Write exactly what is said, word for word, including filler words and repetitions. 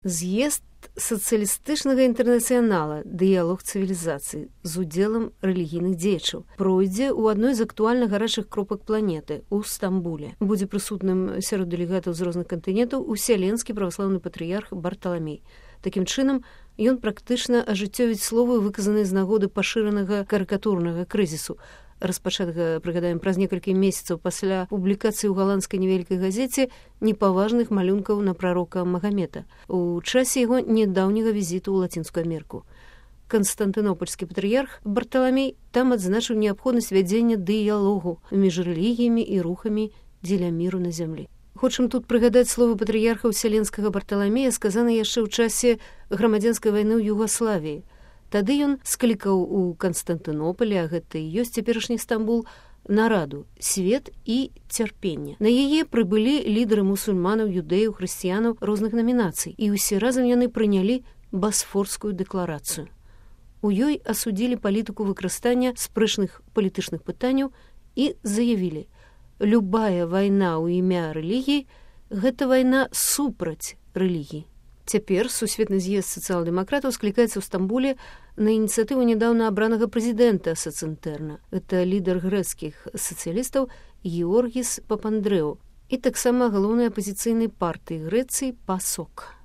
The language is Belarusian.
З'езд сацыялістычнага інтэрнацыянала «Дыялог цывілізацыі» з удзелам рэлігійных дзеячаў пройдзе ў адной з актуальна гарачых кропак планеты ў Стамбуле. Будзе прысутным сярод дэлегатаў з розных кантынентаў уселенскі праваслаўны патрыярх Барталамей. Такім чынам, ён практычна ажыццёвіць словы, выказаныя з нагоды пашыранага карыкатурнага крызісу, распачатага, прыгадаем, праз некалькі месяцаў пасля публікацыі ў галандскай невялікай газеце непаважных малюнкаў на прарока Магамета у часе яго нядаўняга візіту ў Лацінскую Амерыку. Канстантынопольскі патрыярх Барталамей там адзначыў неабходнасць вядзення дыялогу між рэлігіямі і рухамі дзеля міру на зямлі. Хочам тут прыгадаць словы патрыярха ўселенскага Барталамея, сказаныя яшчэ ў часе грамадзянскай вайны ў Югаславіі. Тады ён склікаў у Канстантынополі, а гэта і ёсць цяперашні Стамбул, нараду «Свет і цярпенне». На яе прыбылі лідары мусульманаў, юдэяў, хрысціянаў розных намінацый, і ўсе разам яны прынялі Басфорскую дэкларацыю. У ёй асудзілі палітыку выкарыстання спрэчных палітычных пытанняў і заявілі: любая вайна ў імя рэлігіі – гэта вайна супраць рэлігіі. Цяпер сусветны з'езд сацыял-дэмакратаў склікаецца ў Стамбуле на ініцыятыву нядаўна абранага прэзідэнта Сацэнтэрна. Гэта лідар грэцкіх сацыялістаў Георгіс Папандрэу і таксама галоўнай апазіцыйнай партыі Грэцыі ПАСОК.